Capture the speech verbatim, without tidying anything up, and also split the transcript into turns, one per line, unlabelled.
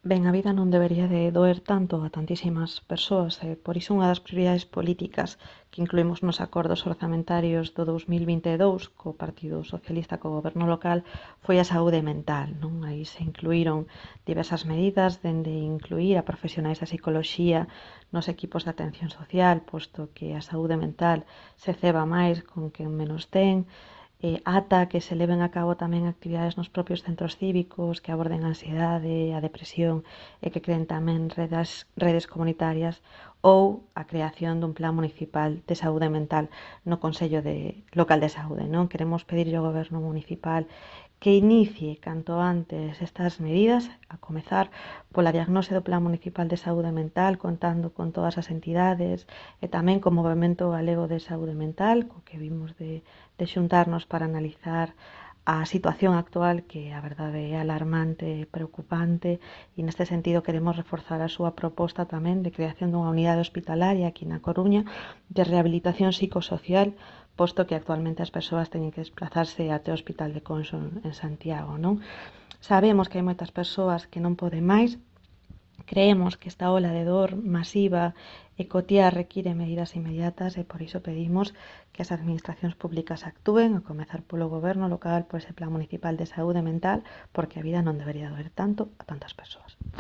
Ben, a vida non debería de doer tanto a tantísimas persoas e por iso unha das prioridades políticas que incluímos nos acordos orzamentarios do dous mil vinte e dous co Partido Socialista co Goberno local foi a saúde mental, non? Aí se incluíron diversas medidas, dende incluir a profesionais da psicoloxía nos equipos de atención social, posto que a saúde mental se ceba máis con quen menos ten, eh, ata que se leven a cabo tamén actividades nos propios centros cívicos que aborden a ansiedade, a depresión e que creen tamén redes, redes comunitarias ou a creación dun plan municipal de saúde mental no Consello de, Local de Saúde. Non queremos pedirlle ao Goberno municipal que inicie canto antes estas medidas, a comezar pola diagnose do Plan Municipal de Saúde Mental, contando con todas as entidades e tamén co Movemento Galego de Saúde Mental, co que vimos de, de xuntarnos para analizar a situación actual, que a verdade é alarmante e preocupante, e neste sentido queremos reforzar a súa proposta tamén de creación dunha unidade hospitalaria aquí na Coruña de rehabilitación psicosocial, posto que actualmente as persoas teñen que desplazarse até o Hospital de Conso en Santiago, non? Sabemos que hai moitas persoas que non poden máis. Creemos que esta ola de dor masiva e cotiá require medidas inmediatas e por iso pedimos que as administracións públicas actúen, a comezar polo goberno local, por ese plan municipal de saúde mental, porque a vida non debería doer tanto a tantas persoas.